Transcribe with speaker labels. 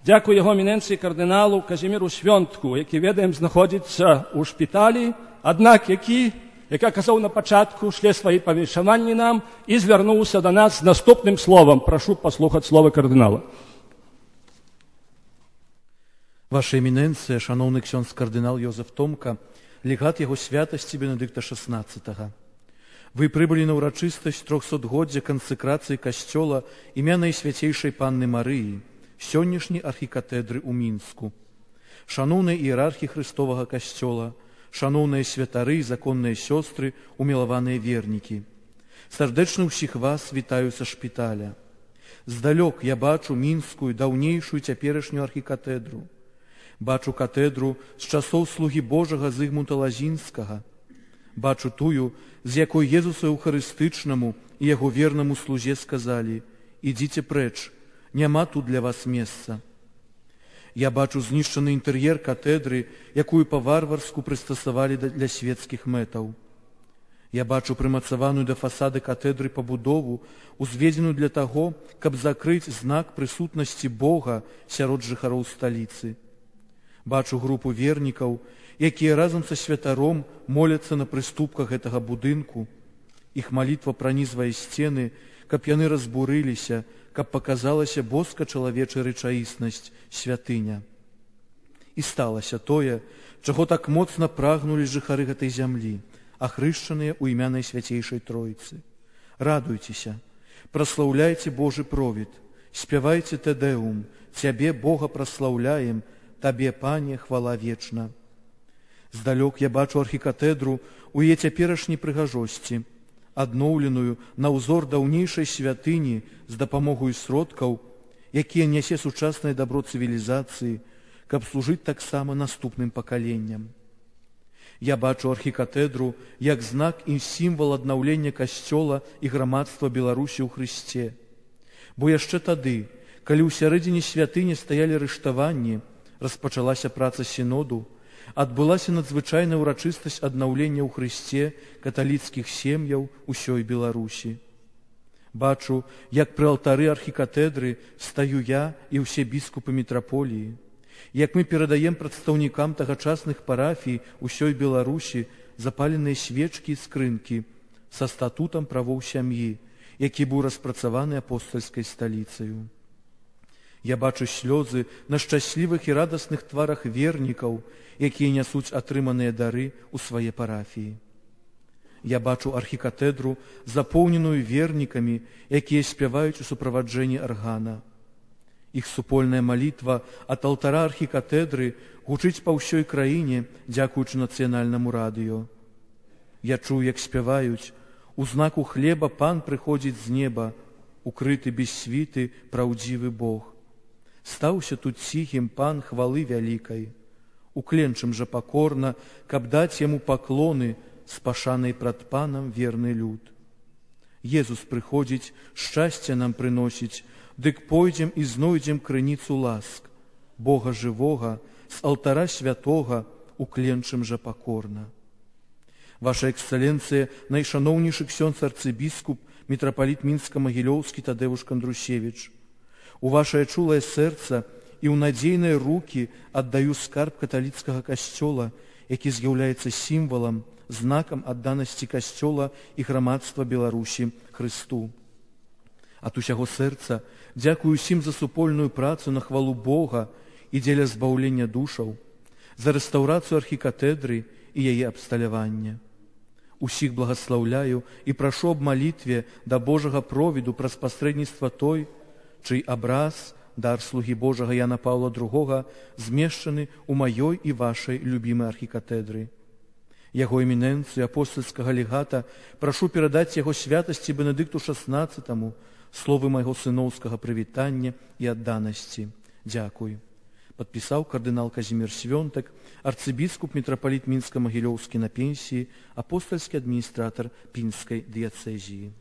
Speaker 1: Дякую його еміненції кардиналу Казіміру Свьонтку, який, ведаем, знаходиться у шпіталі, аднак яка казав на початку, шле свої повішаванні нам і звернувся до нас з наступним словом. Прошу послухати слово кардинала.
Speaker 2: Ваша еміненція, шановний ксьондз кардинал Йозеф Томка, легат його святості Бенедикта XVI. Вы прибыли на урачыстасць 300-годдзя кансэкрацыі касцёла імя Найсвяцейшай Панны Марыі, сённяшняй архікатэдры ў Мінску. Шаноўныя іерархі Христовага касцёла, шаноўныя святары, законныя сёстры, умілаваныя вернікі. Сардэчна ўсіх вас вітаю са шпіталя. Здалёк я бачу мінскую, даўнейшую цяперашнюю архікатэдру. Бачу катедру з часоў слугі Божага Зыгмунта Лазінскага. Бачу тую, з якой Езусу Еўхарыстычнаму і яго вернаму слузе сказалі: «Ідзіце прэч, няма тут для вас месца». Я бачу знішчаны інтэр'ер катедры, якую па-варварску прыстасавалі для свецкіх мэтаў. Я бачу прымацаваную да фасады катедры пабудову, узведзеную для таго, каб закрыць знак прысутнасці Бога сярод жыхароў сталіцы. Бачу групу вернікаў, якія разам са святаром моляцца на прыступках гэтага будынку. Іх малітва пранізвае сцены, каб яны разбурыліся, каб паказалася боска-чалавечая рэчаіснасць святыня. І сталася тое, чаго так моцна прагнулі жыхары гэтай зямлі, ахрышчаныя ў імя Найсвяцейшай Тройцы. Радуйцеся, праслаўляйце Божы провід, спявайце Тэдэум, Цябе, Бога, праслаўляем, Табе, Пане, хвала вечна. Здалёк я бачу архікатэдру ў яе цяперашняй прыгажосці, адноўленую на ўзор даўнейшай святыні з дапамогою сродкаў, якія нясе сучаснае дабро цывілізацыі, каб служыць таксама наступным пакаленням. Я бачу архікатэдру як знак і сімвал аднаўлення касцёла і грамадства Беларусі ў Хрысце. Бо яшчэ тады, калі ў сярэдзіне святыні стаялі рыштаванні, распачалася праца сіноду, адбылася надзвычайная ўрачыстасць аднаўлення ў Хрысце каталіцкіх сем'яў усёй Беларусі. Бачу, як пры алтары архікатэдры стаю я і ўсе біскупы мітраполіі, як мы перадаем прадстаўнікам тагачасных парафій усёй Беларусі запаленыя свечкі і скрынкі са статутам правоў сям'і, які быў распрацаваны апостальскай сталіцаю. Я бачу слёзы на шчаслівых і радасных тварах вернікаў, якія нясуць атрыманыя дары ў свае парафіі. Я бачу архікатэдру, запоўненую вернікамі, якія спяваюць у суправаджэнні аргана. Іх супольная малітва ад алтара архікатэдры гучыць па ўсёй краіне, дзякуючы нацыянальнаму радыё. Я чую, як спяваюць: «У знаку хлеба Пан прыходзіць з неба, укрыты без світы праўдзівы Бог. Стаўся тут ціхім Пан хвалы вялікай, укленчым жа пакорна, каб даць яму паклоны, спашанай прад Панам верны люд. Езус прыходзіць, шчасце нам прыносіць, дык пойдзем і знойдзем крыніцу ласк, Бога жывога, з алтара святога, укленчым жа пакорна». Ваша эксцэленцыя, найшаноўнейшы ксёндз арцыбіскуп, мітрапаліт Мінска-Магілёўскі Тадеуш Кандрусевіч, у вашае чулае сэрца і ў надзейныя рукі аддаю скарб каталіцкага касцёла, які з'яўляецца сімвалам, знакам адданасці касцёла і грамадства Беларусі Хрысту. Ад усяго сэрца дзякую ўсім за супольную працу на хвалу Бога і дзеля збаўлення душаў, за рэстаўрацыю архікатэдры і яе абсталявання. Усіх благаслаўляю і прашу аб малітве да Божага провіду праз пасрэдніцтва той, чый абраз, дар слугі Божага Яна Паўла II, змешчаны ў маёй і вашай любімай архікатэдры. Яго эмінэнцыю апостальскага легата прашу перадаць яго святасці Бенедыкту XVI словы майго сыноўскага прывітання і адданасці. Дзякуй. Падпісаў кардынал Казімір Свёнтак, арцыбіскуп мітрапаліт Мінска-Магілёўскі на пенсіі, апостальскі адміністратар Пінскай дыяцэзіі.